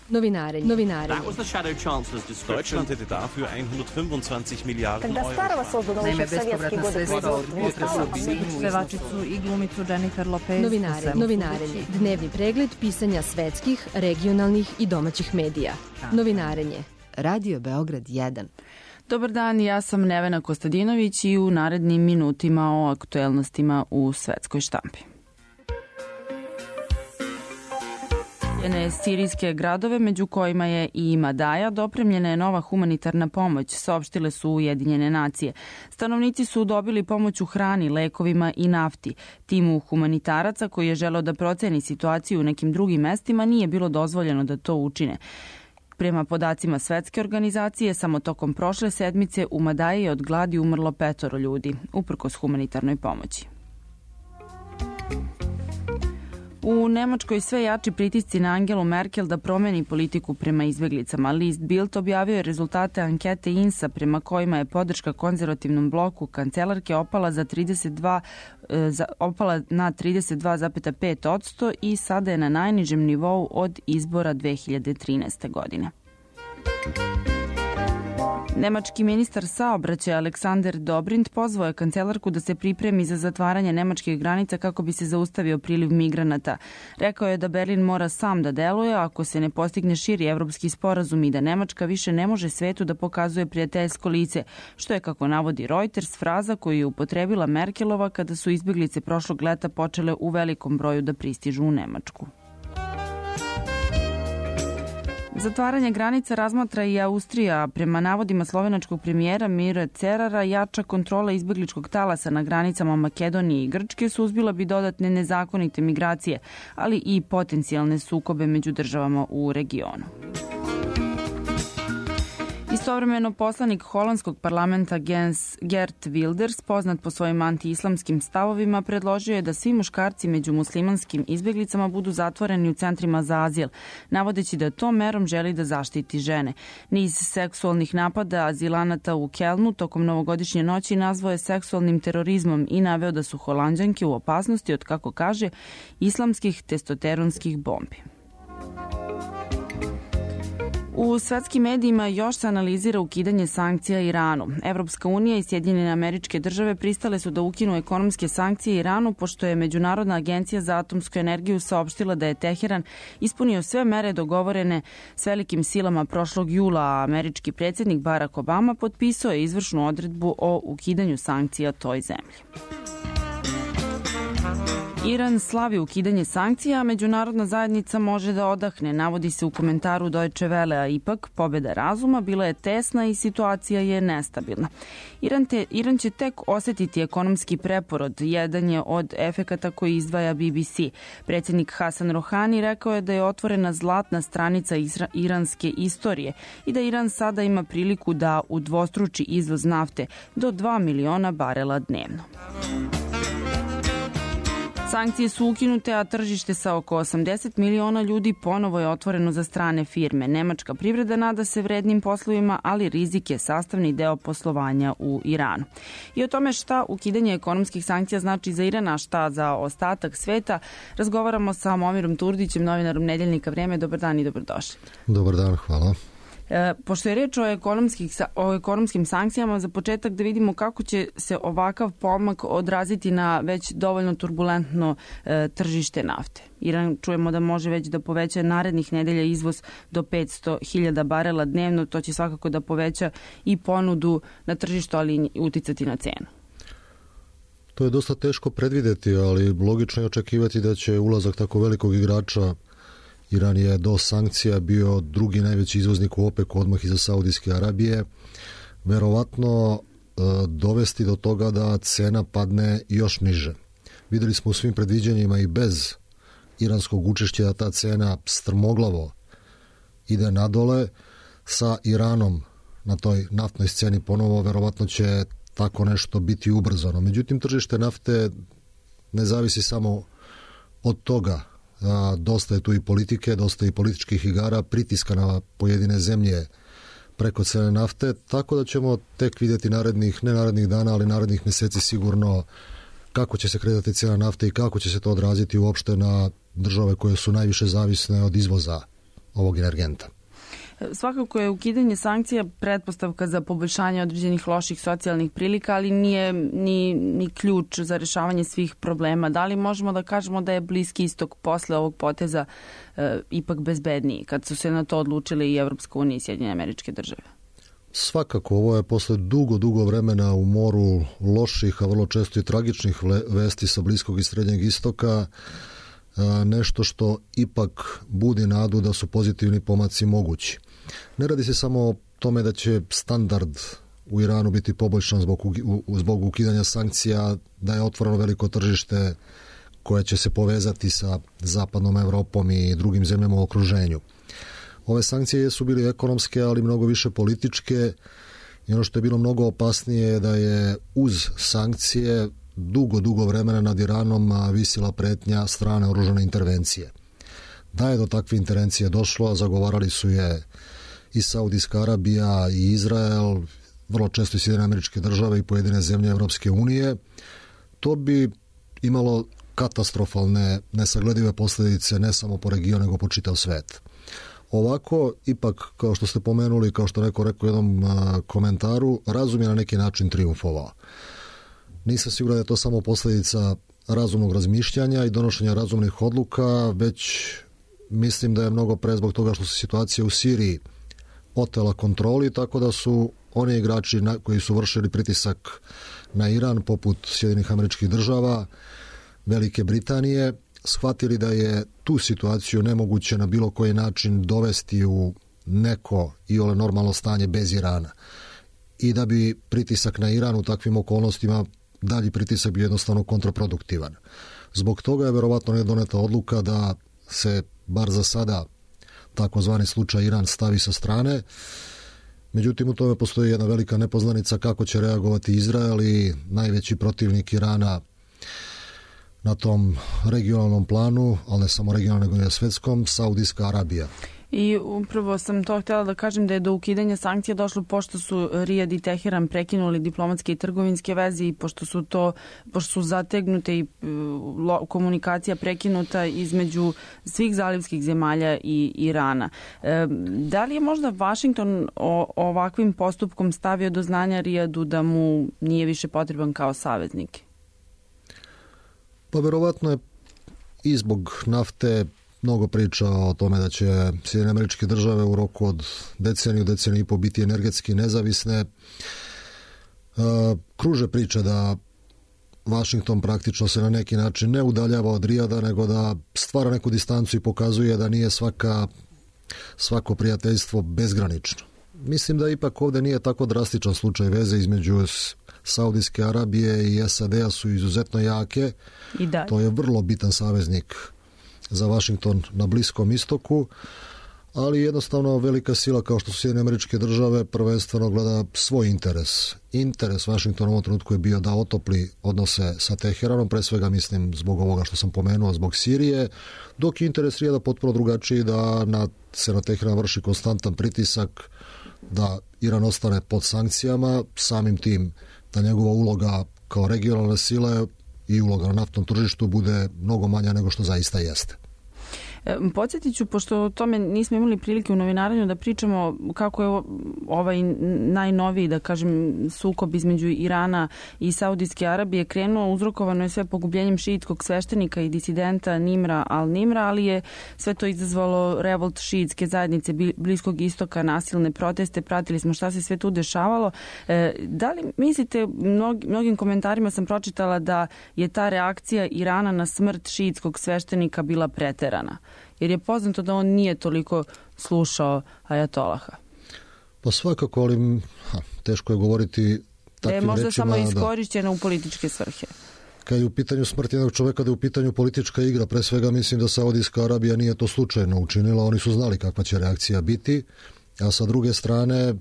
Novinarenje. Deutschland hätte dafür 125 milijardi euro. Naime, bespovratna sredstva od pevačicu i glumicu Jennifer Lopez. Novinarenje. Dnevni pregled pisanja svetskih, regionalnih i domaćih medija. Novinarenje. Radio Beograd 1. Dobar dan, ja sam Nevena Kostadinović i u narednim minutima o aktuelnostima u svetskoj štampi. Sirijske gradove, među kojima je i Madaja, dopremljena je nova humanitarna pomoć, saopštile su Ujedinjene nacije. Stanovnici su dobili pomoć u hrani, lekovima i nafti. Timu humanitaraca koji je želeo da proceni situaciju u nekim drugim mestima nije bilo dozvoljeno da to učine. Prema podacima svetske organizacije, samo tokom prošle sedmice u Madaji je od gladi umrlo 5 ljudi, uprkos humanitarnoj pomoći. U Nemačkoj sve jači pritisci na Angelu Merkel da promeni politiku prema izbeglicama. List Bild objavio je rezultate ankete INSA prema kojima je podrška konzervativnom bloku kancelarke opala na 32,5% i sada je na najnižem nivou od izbora 2013. godine. Nemački ministar saobraćaja Aleksander Dobrindt pozvao je kancelarku da se pripremi za zatvaranje nemačkih granica kako bi se zaustavio priliv migranata. Rekao je da Berlin mora sam da deluje ako se ne postigne širi evropski sporazum i da Nemačka više ne može svetu da pokazuje prijateljsko lice, što je, kako navodi Reuters, fraza koju je upotrebila Merkelova kada su izbeglice prošlog leta počele u velikom broju da pristižu u Nemačku. Zatvaranje granica razmatra i Austrija. Prema navodima slovenačkog premijera Mira Cerara, jača kontrola izbegličkog talasa na granicama Makedonije i Grčke suzbila bi dodatne nezakonite migracije, ali i potencijalne sukobe među državama u regionu. Istovremeno, poslanik holandskog parlamenta Geert Wilders, poznat po svojim anti-islamskim stavovima, predložio je da svi muškarci među muslimanskim izbeglicama budu zatvoreni u centrima za azil, navodeći da tom merom želi da zaštiti žene. Niz seksualnih napada azilanata u Kelnu tokom novogodišnje noći nazvao je seksualnim terorizmom i naveo da su Holanđanke u opasnosti od, kako kaže, islamskih testosteronskih bombi. U svetskim medijima još se analizira ukidanje sankcija Iranu. Evropska unija i Sjedinjene Američke Države pristale su da ukinu ekonomske sankcije Iranu, pošto je Međunarodna agencija za atomsku energiju saopštila da je Teheran ispunio sve mere dogovorene s velikim silama prošlog jula, a američki predsjednik Barack Obama potpisao je izvršnu odredbu o ukidanju sankcija toj zemlji. Iran slavi ukidanje sankcija, a međunarodna zajednica može da odahne, navodi se u komentaru Deutsche Welle, a ipak pobjeda razuma bila je tesna i situacija je nestabilna. Iran će tek osjetiti ekonomski preporod, jedan je od efekata koji izdvaja BBC. Predsjednik Hasan Rohani rekao je da je otvorena zlatna stranica iranske istorije i da Iran sada ima priliku da udvostruči izvoz nafte do 2 miliona barela dnevno. Sankcije su ukinute, a tržište sa oko 80 miliona ljudi ponovo je otvoreno za strane firme. Nemačka privreda nada se vrednim poslovima, ali rizik je sastavni deo poslovanja u Iranu. I o tome šta ukidanje ekonomskih sankcija znači za Iran, a šta za ostatak sveta, razgovaramo sa Momirom Turdićem, novinarom Nedeljnika Vrijeme. Dobar dan i dobrodošli. Dobar dan, hvala. Pošto je reč o ekonomskim sankcijama, za početak da vidimo kako će se ovakav pomak odraziti na već dovoljno turbulentno tržište nafte. Iran, čujemo da može već da poveća narednih nedelja izvoz do 500.000 barela dnevno. To će svakako da poveća i ponudu na tržištu, ali i uticati na cenu. To je dosta teško predvideti, ali logično je očekivati da će ulazak tako velikog igrača, Iran je do sankcija bio drugi najveći izvoznik u OPEC-u odmah iza Saudijske Arabije, verovatno dovesti do toga da cena padne još niže. Videli smo u svim predviđanjima i bez iranskog učešća da ta cena strmoglavo ide nadole. Sa Iranom na toj naftnoj sceni ponovo verovatno će tako nešto biti ubrzano. Međutim, tržište nafte ne zavisi samo od toga. Dosta je tu i politike, dosta i političkih igara, pritiska na pojedine zemlje preko cene nafte, tako da ćemo tek vidjeti ne narednih dana, ali narednih mjeseci sigurno kako će se kretati cijena nafte i kako će se to odraziti uopšte na države koje su najviše zavisne od izvoza ovog energenta. Svakako je ukidanje sankcija pretpostavka za poboljšanje određenih loših socijalnih prilika, ali nije ni ključ za rešavanje svih problema. Da li možemo da kažemo da je Bliski istok posle ovog poteza ipak bezbedniji, kad su se na to odlučili i Evropska unija i Sjedinjene Američke Države? Svakako, ovo je posle dugo vremena u moru loših, a vrlo često i tragičnih vesti sa Bliskog i Srednjeg istoka, nešto što ipak budi nadu da su pozitivni pomaci mogući. Ne radi se samo o tome da će standard u Iranu biti poboljšan zbog ukidanja sankcija, da je otvoreno veliko tržište koje će se povezati sa zapadnom Evropom i drugim zemljama u okruženju. Ove sankcije su bili ekonomske, ali mnogo više političke, i ono što je bilo mnogo opasnije je da je uz sankcije dugo vremena nad Iranom visila pretnja strane oružane intervencije. Da je do takve intervencije došlo, a zagovarali su je i Saudijska Arabija i Izrael, vrlo često i Sjedinjene Američke Države i pojedine zemlje Evropske unije, to bi imalo katastrofalne, nesagledive posljedice ne samo po regionu, nego po čitav svet. Ovako, ipak, kao što ste pomenuli, kao što neko rekao u jednom komentaru, razum je na neki način triumfovao. Nisam siguran da je to samo posljedica razumnog razmišljanja i donošenja razumnih odluka, već mislim da je mnogo pre zbog toga što se situacija u Siriji otela kontroli, tako da su oni igrači koji su vršili pritisak na Iran, poput Sjedinjenih Američkih Država, Velike Britanije, shvatili da je tu situaciju nemoguće na bilo koji način dovesti u neko iole normalno stanje bez Irana. I da bi pritisak na Iran u takvim okolnostima, dalji pritisak bi jednostavno kontraproduktivan. Zbog toga je verovatno ne doneta odluka da se, bar za sada, takozvani slučaj Iran stavi sa strane. Međutim, u tome postoji jedna velika nepoznanica kako će reagovati Izrael i najveći protivnik Irana na tom regionalnom planu, ali ne samo regionalnom, nego i na svetskom, Saudijska Arabija. I upravo sam to htjela da kažem da je do ukidanja sankcija došlo pošto su Rijad i Teheran prekinuli diplomatske i trgovinske veze i pošto su zategnute i komunikacija prekinuta između svih zalivskih zemalja i Irana. Da li je možda Vašington ovakvim postupkom stavio do znanja Rijadu da mu nije više potreban kao saveznik? Pa verovatno je i zbog nafte mnogo priča o tome da će Sjedinjene Američke Države u roku od deceniju i po biti energetski nezavisne. Kruže priče da Vašington praktično se na neki način ne udaljava od Rijada, nego da stvara neku distancu i pokazuje da nije svako prijateljstvo bezgranično. Mislim da ipak ovdje nije tako drastičan slučaj, veze između Saudijske Arabije i SAD-a su izuzetno jake. To je vrlo bitan saveznik za Vašington na Bliskom istoku, ali jednostavno velika sila kao što su Sjedinjene Američke Države prvenstveno gleda svoj interes. Interes Vašingtona u ovom trenutku je bio da otopli odnose sa Teheranom, pre svega mislim zbog ovoga što sam pomenuo, zbog Sirije, dok je interes Rijada potpuno drugačiji, da se na Teheran vrši konstantan pritisak, da Iran ostane pod sankcijama, samim tim da njegova uloga kao regionalne sile i uloga na naftnom tržištu bude mnogo manja nego što zaista jeste. Podsjetit ću, pošto o tome nismo imali prilike u novinaranju da pričamo kako je ovaj najnoviji, da kažem, sukob između Irana i Saudijske Arabije krenuo, uzrokovano je sve pogubljenjem šiitskog sveštenika i disidenta Nimra al-Nimra, ali je sve to izazvalo revolt šiitske zajednice Bliskog istoka, nasilne proteste, pratili smo šta se sve tu dešavalo. Da li mislite, mnogim komentarima sam pročitala da je ta reakcija Irana na smrt šiitskog sveštenika bila preterana? Jer je poznato da on nije toliko slušao ajatolaha. Pa svakako, ali teško je govoriti takvim rečima. Da je možda samo iskorišćena u političke svrhe. Kad je u pitanju smrt jednog čoveka, da je u pitanju politička igra, pre svega mislim da Saudijska Arabija nije to slučajno učinila, oni su znali kakva će reakcija biti, a sa druge strane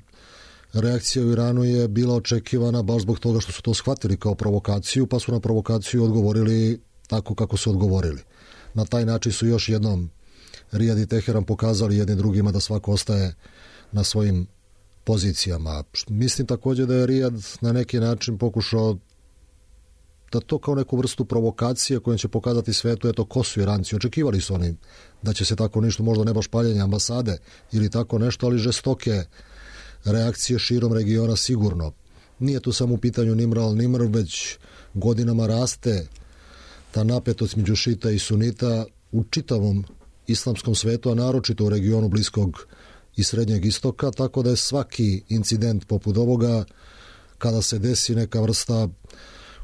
reakcija u Iranu je bila očekivana baš zbog toga što su to shvatili kao provokaciju, pa su na provokaciju odgovorili tako kako su odgovorili. Na taj način su još jednom Rijad i Teheran pokazali jednim drugima da svako ostaje na svojim pozicijama. Mislim također da je Rijad na neki način pokušao dopušta to kao neku vrstu provokacije kojom će pokazati svetu eto ko su Iranci. Očekivali su oni da će se tako nešto, možda ne baš paljenje ambasade ili tako nešto, ali žestoke reakcije širom regiona sigurno. Nije tu samo u pitanju Nimr al-Nimr, već godinama raste ta napetost među šita i sunita u čitavom islamskom svetu, a naročito u regionu Bliskog i Srednjeg istoka, tako da je svaki incident poput ovoga, kada se desi neka vrsta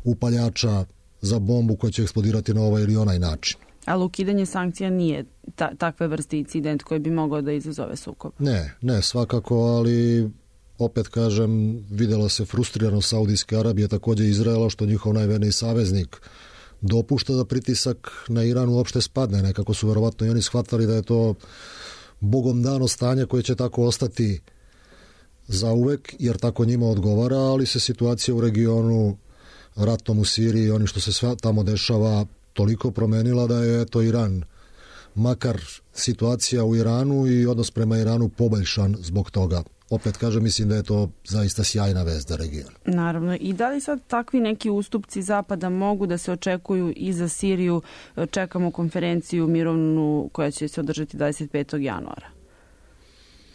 upaljača za bombu koja će eksplodirati na ovaj ili onaj način. Ali ukidanje sankcija nije takve vrste incident koji bi mogao da izazove sukob? Ne, svakako, ali opet kažem, vidjela se frustriranost Saudijske Arabije, također Izraela, što njihov najverniji saveznik dopušta da pritisak na Iran uopšte spadne. Nekako su verovatno i oni shvatali da je to bogom dano stanje koje će tako ostati zauvek, jer tako njima odgovara, ali se situacija u regionu, ratom u Siriji i oni što se sve tamo dešava toliko promenila da je to Iran, makar situacija u Iranu i odnos prema Iranu poboljšan zbog toga. Opet kažem, mislim da je to zaista sjajna vest za region. Naravno. I da li sad takvi neki ustupci Zapada mogu da se očekuju i za Siriju? Čekamo konferenciju mirovnu koja će se održati 25. januara.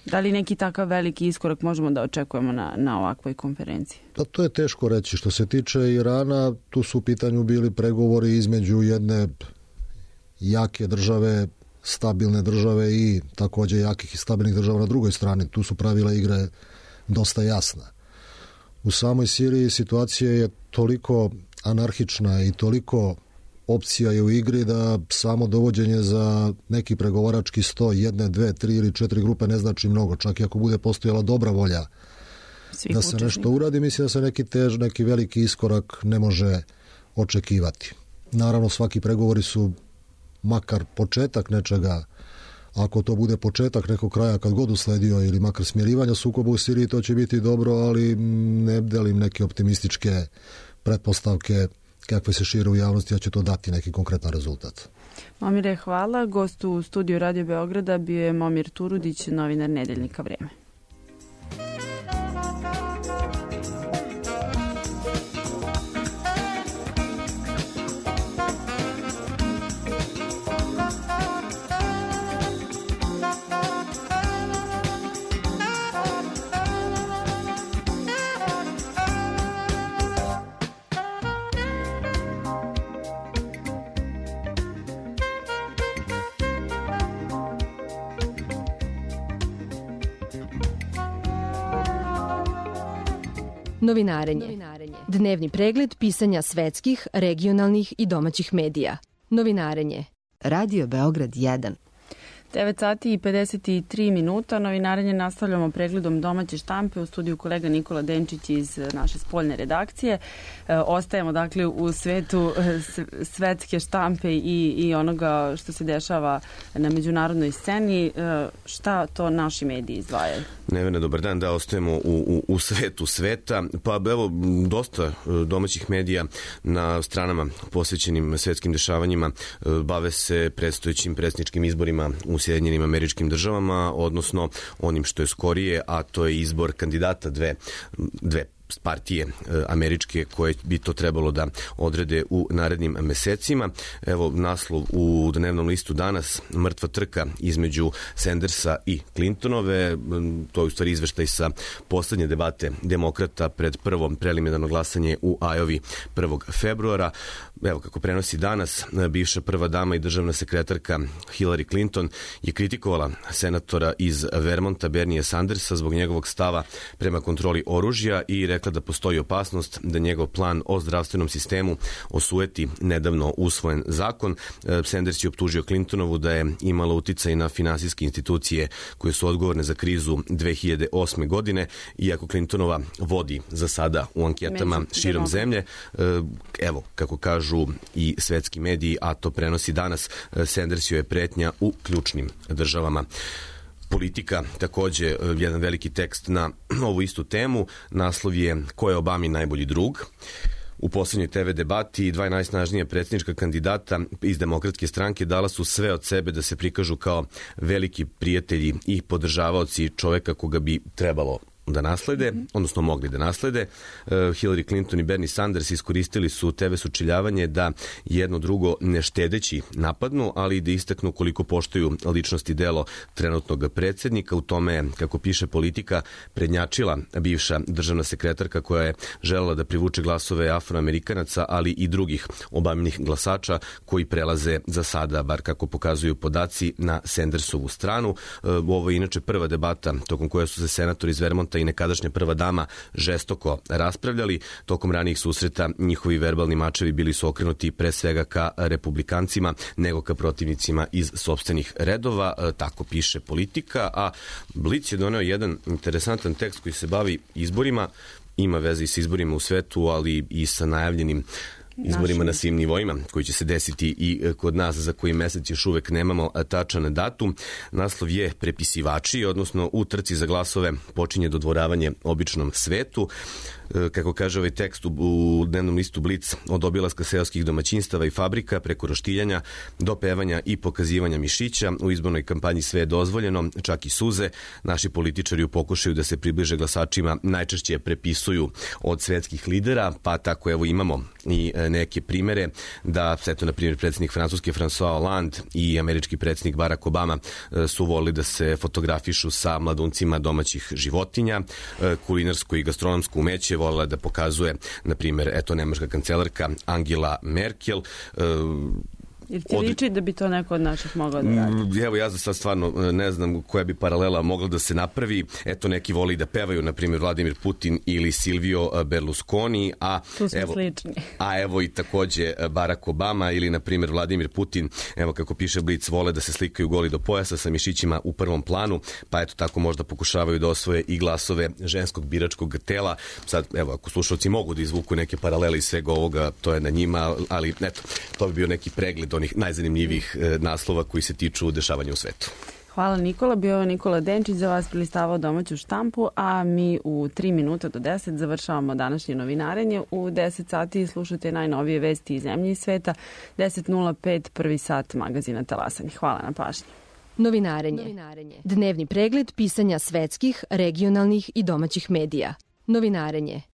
Da li neki takav veliki iskorak možemo da očekujemo na ovakvoj konferenciji? Pa to je teško reći. Što se tiče Irana, tu su u pitanju bili pregovori između jedne jake države, stabilne države i također jakih i stabilnih država na drugoj strani. Tu su pravila igre dosta jasna. U samoj Siriji situacija je toliko anarhična i toliko opcija je u igri da samo dovođenje za neki pregovarački sto, 1, 2, 3 ili 4 grupe ne znači mnogo. Čak i ako bude postojala dobra volja da se nešto uradi, mislim da se neki veliki iskorak ne može očekivati. Naravno, svaki pregovori su makar početak nečega. Ako to bude početak nekog kraja kad god usledio ili makar smirivanja sukoba u Siriji, to će biti dobro, ali ne delim neke optimističke pretpostavke kakve se šire u javnosti, a će to dati neki konkretan rezultat. Momire, hvala. Gost u studiju Radio Beograda bio je Momir Turudić, novinar Nedeljnika Vreme. Novinarenje. Dnevni pregled pisanja svetskih, regionalnih i domaćih medija. Novinarenje. Radio Beograd 1. 9 sati i 53 minuta. Novinarenje nastavljamo pregledom domaće štampe. U studiju kolega Nikola Denčić iz naše spoljne redakcije. Ostajemo dakle u svetu svetske štampe i onoga što se dešava na međunarodnoj sceni. Šta to naši mediji izdvajaju? Nevena, dobar dan. Da, ostajemo u svetu sveta. Pa evo, dosta domaćih medija na stranama posvećenim svetskim dešavanjima bave se predstojećim predsjedničkim izborima u Sjedinjenim Američkim Državama, odnosno onim što je skorije, a to je izbor kandidata dve partije američke koje bi to trebalo da odrede u narednim mesecima. Evo naslov u dnevnom listu danas: mrtva trka između Sandersa i Clintonove. To je u stvari izveštaj sa poslednje debate demokrata pred prvo preliminarno glasanje u Iowi 1. februara. Evo kako prenosi danas, bivša prva dama i državna sekretarka Hillary Clinton je kritikovala senatora iz Vermonta Bernie Sandersa zbog njegovog stava prema kontroli oružja i rekla da postoji opasnost da njegov plan o zdravstvenom sistemu osueti nedavno usvojen zakon. Sanders je optužio Clintonovu da je imala uticaj na finansijske institucije koje su odgovorne za krizu 2008. godine, iako Clintonova vodi za sada u anketama širom zemlje. Evo, kako kažu i svetski mediji, a to prenosi danas, Sanders joj je pretnja u ključnim državama. Politika, također jedan veliki tekst na ovu istu temu. Naslov je: ko je Obami najbolji drug? U posljednjoj TV debati dva najsnažnija predsjednička kandidata iz Demokratske stranke dala su sve od sebe da se prikažu kao veliki prijatelji i podržavaoci čoveka koga bi trebalo da naslede, odnosno mogli da naslede. Hillary Clinton i Bernie Sanders iskoristili su TV sučeljavanje da jedno drugo ne štedeći napadnu, ali i da istaknu koliko poštuju ličnost i delo trenutnog predsjednika. U tome, kako piše Politika, prednjačila bivša državna sekretarka koja je želela da privuče glasove Afroamerikanaca, ali i drugih Obaminih glasača koji prelaze za sada, bar kako pokazuju podaci, na Sandersovu stranu. Ovo je inače prva debata tokom koje su se senatori iz Vermonta i nekadašnja prva dama žestoko raspravljali. Tokom ranijih susreta njihovi verbalni mačevi bili su okrenuti pre svega ka republikancima nego ka protivnicima iz sopstvenih redova, tako piše Politika, a Blic je doneo jedan interesantan tekst koji se bavi izborima, ima veze i sa izborima u svetu, ali i sa najavljenim izborima na svim nivoima koji će se desiti i kod nas, za koji mesec još uvek nemamo tačan datum. Naslov je Prepisivači, odnosno u trci za glasove počinje dodvoravanje običnom svetu. Kako kaže ovaj tekst u dnevnom listu Blic, od obilaska seoskih domaćinstava i fabrika preko roštiljanja do pevanja i pokazivanja mišića, u izbornoj kampanji sve je dozvoljeno, čak i suze. Naši političari u pokušaju da se približe glasačima najčešće prepisuju od svetskih lidera, pa tako evo imamo i neke primere da, eto, na primjer, predsjednik Francuske François Hollande i američki predsjednik Barack Obama su volili da se fotografišu sa mladuncima domaćih životinja. Kulinarsko i gastronomsko umeće volila da pokazuje, na primjer, eto, nemačka kancelarka Angela Merkel. Jer ti liči da bi to neko od naših mogao da radi? Evo, ja za sad stvarno ne znam koja bi paralela mogla da se napravi. Eto, neki voli da pevaju, na primjer, Vladimir Putin ili Silvio Berlusconi, tu smo slični. A evo i takođe Barack Obama ili, na primjer, Vladimir Putin, evo kako piše Blic, vole da se slikaju goli do pojasa sa mišićima u prvom planu, pa eto tako možda pokušavaju da osvoje i glasove ženskog biračkog tela. Sad, evo, ako slušalci mogu da izvuku neke paralele iz svega ovoga, to je na njima, ali eto, to bi bio neki pregled onih najzanimljivih naslova koji se tiču dešavanja u svetu. Hvala Nikola, bio je Nikola Denčić, za vas prilistavao domaću štampu, a mi u 3 minuta do 10 završavamo današnje novinarenje. U 10 sati slušate najnovije vesti iz zemlje i sveta, 10.05 prvi sat magazina Talasanje. Hvala na pažnji. Novinarenje. Dnevni pregled pisanja svetskih, regionalnih i domaćih medija. Novinarenje.